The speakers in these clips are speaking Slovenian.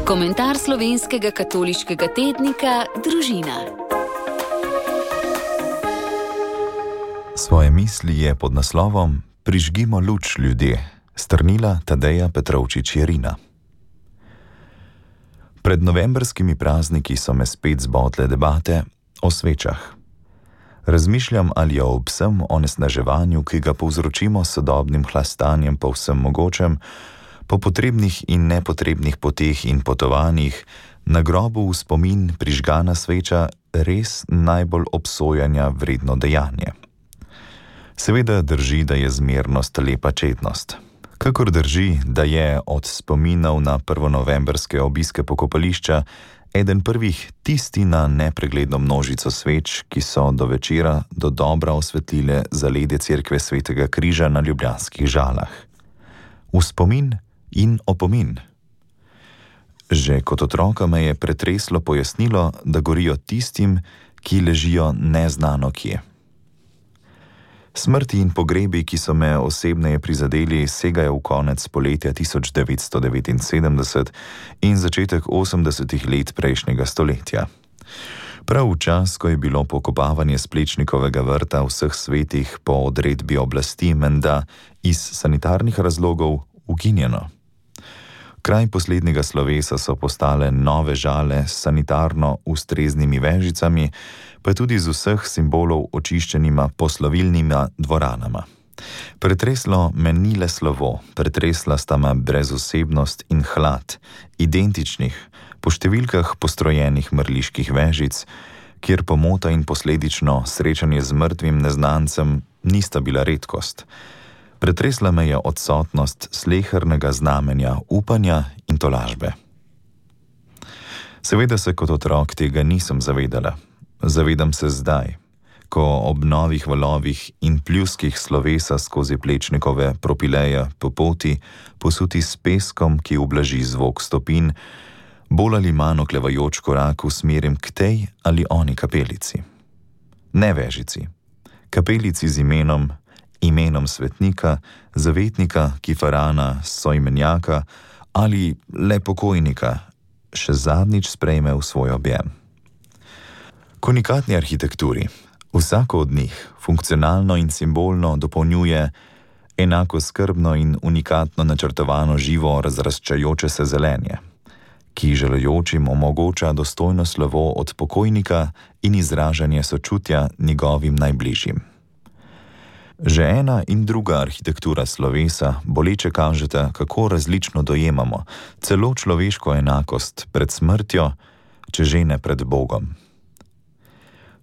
Komentar slovenskega katoliškega tednika Družina. Svoje misli je pod naslovom Prižgimo luč, ljudje, strnila Tadeja Petrovčič-Jerina. Pred novembrskimi prazniki so me spet zbodle debate o svečah. Razmišljam, ali je ob vsem onesnaževanju, ki ga povzročimo s sodobnim hlastanjem po vsem mogočem, po potrebnih in nepotrebnih poteh in potovanjih, na grobu v spomin prižgana sveča res najbolj obsojanja vredno dejanje. Seveda drži, da je zmernost lepa čednost. Kakor drži, da je od spominov na prvonovembrske obiske pokopališča eden prvih tisti na nepregledno množico sveč, ki so do večera do dobra osvetlile zaledje cerkve Svetega križa na ljubljanskih Žalah. V spomin in opomin. Že kot otroka me je pretreslo pojasnilo, da gorijo tistim, ki ležijo neznano kje. Smrti in pogrebi, ki so me osebneje prizadeli, segajo v konec poletja 1979 in začetek 80. let prejšnjega stoletja. Prav v čas, ko je bilo pokopavanje s Plečnikovega vrta vseh svetih po odredbi oblasti menda iz sanitarnih razlogov ukinjeno. Kraj poslednjega slovesa so postale nove Žale s sanitarno ustreznimi vežicami, pa tudi z vseh simbolov očiščenima poslovilnima dvoranama. Pretreslo me ni le slovo, pretresla sta me brezosebnost in hlad, identičnih, po številkah postrojenih mrliških vežic, kjer pomota in posledično srečanje z mrtvim neznancem nista bila redkost. Pretresla me je odsotnost slehernega znamenja upanja in tolažbe. Seveda se kot otrok tega nisem zavedala. Zavedam se zdaj, ko ob novih valovih in pljuskih slovesa skozi Plečnikove propileje po poti, posuti s peskom, ki ublaži zvok stopinj, bolj ali manj oklevajoč korak usmerim k tej ali oni kapelici. Ne vežici. Kapelici z imenom svetnika, zavetnika, kifarana, soimenjaka ali le pokojnika, še zadnjič sprejme v svoj objem. Konikatni arhitekturi, vsako od njih funkcionalno in simbolno dopolnjuje enako skrbno in unikatno načrtovano živo razraščajoče se zelenje, ki želejočim omogoča dostojno slovo od pokojnika in izražanje sočutja njegovim najbližjim. Že ena in druga arhitektura slovesa boleče kažeta, kako različno dojemamo celo človeško enakost pred smrtjo, če že ne pred Bogom.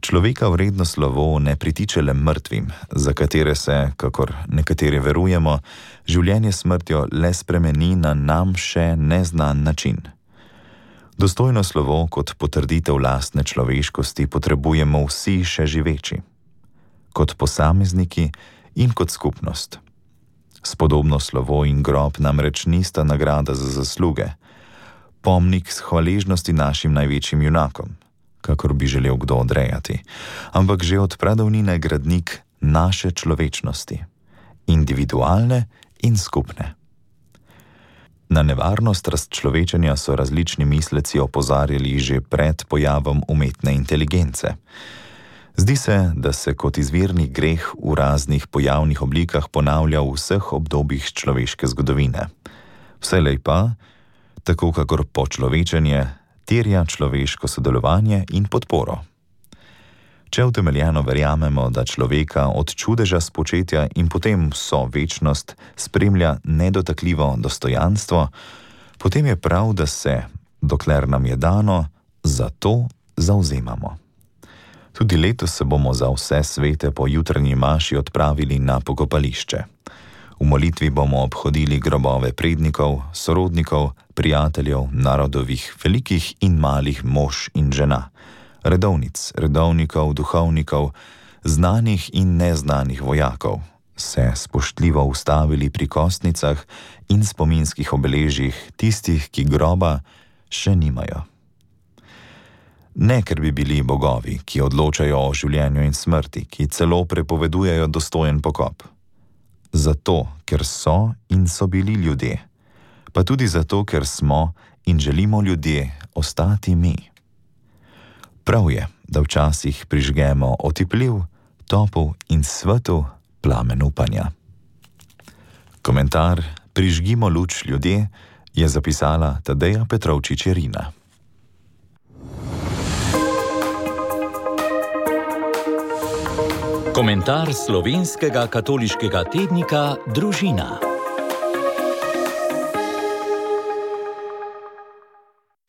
Človeka vredno slovo ne pritiče le mrtvim, za katere se, kakor nekateri verujemo, življenje smrtjo le spremeni na nam še neznan način. Dostojno slovo kot potrditev lastne človeškosti potrebujemo vsi še živeči. Kot posamezniki in kot skupnost. Spodobno slovo in grob namreč nista nagrada za zasluge, pomnik s hvaležnosti našim največjim junakom, kakor bi želel kdo odrejati, ampak že od pradavnine gradnik naše človečnosti, individualne in skupne. Na nevarnost razčlovečenja so različni misleci opozarjali že pred pojavom umetne inteligence. Zdi se, da se kot izvirni greh v raznih pojavnih oblikah ponavlja v vseh obdobjih človeške zgodovine. Vselej pa, tako kakor počlovečenje, terja človeško sodelovanje in podporo. Če utemeljeno verjamemo, da človeka od čudeža spočetja in potem vso večnost spremlja nedotakljivo dostojanstvo, potem je prav, da se, dokler nam je dano, za to zavzemamo. Tudi letos se bomo za vse svete po jutranji maši odpravili na pokopališče. V molitvi bomo obhodili grobove prednikov, sorodnikov, prijateljev, narodovih, velikih in malih mož in žena, redovnic, redovnikov, duhovnikov, znanih in neznanih vojakov, se spoštljivo ustavili pri kostnicah in spominskih obeležjih tistih, ki groba še nimajo. Ne, ker bi bili bogovi, ki odločajo o življenju in smrti, ki celo prepovedujejo dostojen pokop. Zato, ker so in so bili ljudje, pa tudi zato, ker smo in želimo ljudje ostati mi. Prav je, da včasih prižgemo otipljiv, topel in svetel plamen upanja. Komentar Prižgimo luč ljudje je zapisala Tadeja Petrovčič-Jerina. Komentar slovenskega katoliškega tednika Družina.